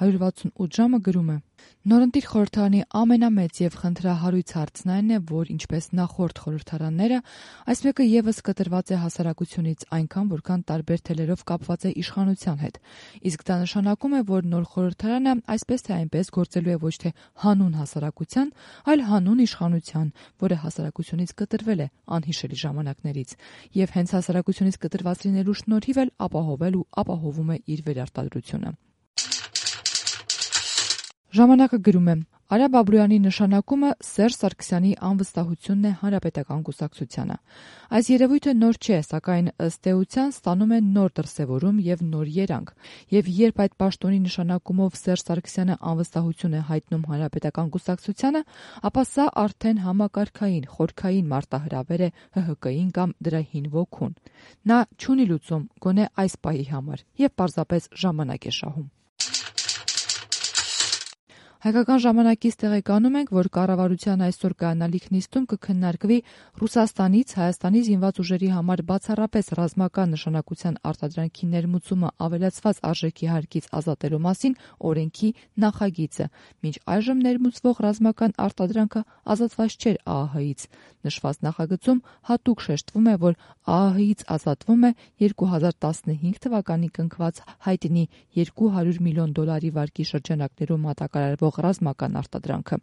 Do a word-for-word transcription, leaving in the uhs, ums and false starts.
հարյուր վաթսունութ ժամը գրում է. Նորընտիր խորհրդարանի ամենամեծ եւ խնդրահարույց հարցն այն է, որ ինչպես նախորդ խորհրդարանները, այս մեկը եւս կտրված է հասարակությունից այնքան, որքան տարբեր թելերով կապված է իշխանության հետ։ Իսկ դա նշանակում է, որ նոր խորհրդարանը այսպես թե այնպես գործելու է ոչ թե հանուն հասարակության, այլ հանուն իշխանության, որը հասարակությունից կտրվել է անհիշելի ժամանակներից, եւ հենց հասարակությունից կտրված լինելու շնորհիվ էլ ապահովել ու ապահովում է իր վերարտադրությունը։ Ժամանակը գրում է. Արա Բաբրոյանի նշանակումը Սերժ Սարգսյանի անվստահությունն է հանրապետական կուսակցությանը։ Այս երևույթը նոր չէ, սակայն ըստ էության ստանում է նոր դրսևորում եւ նոր երանգ։ Եվ երբ այդ պաշտոնի նշանակումով Սերժ Սարգսյանը անվստահություն է հայտնում հանրապետական կուսակցությանը, ապա սա արդեն համակարգային, խորքային մարտահրավեր է Հ Հ Կ-ին կամ դրա հին ոգուն։ Նա չունի լուծում գոնե այս պահի համար եւ պարզապես ժամանակ է շահում։ Հայկական ժամանակից տեղեկանում ենք, որ կառավարության այսօր կայանալիք նիստում կքննարկվի Ռուսաստանից Հայաստանի զինված ուժերի համար բացառապես ռազմական նշանակության արտադրանքի ներմուծումը ավելացված արժեքի հարկից ազատելու մասին օրենքի նախագիծը։ Մինչ այժմ ներմուծվող ռազմական արտադրանքը ազատված չէր Ա Ահ Հ-ից։ Նշված նախագծում հատուկ շեշտվում է, որ Ա Ահ Հ-ից ազատվում է երկու հազար տասնհինգ թվականի կնքված հայտնի երկու հարյուր միլիոն դոլարի վարկի շրջանակներում մատակարարվող ռազմական արտադրանքը։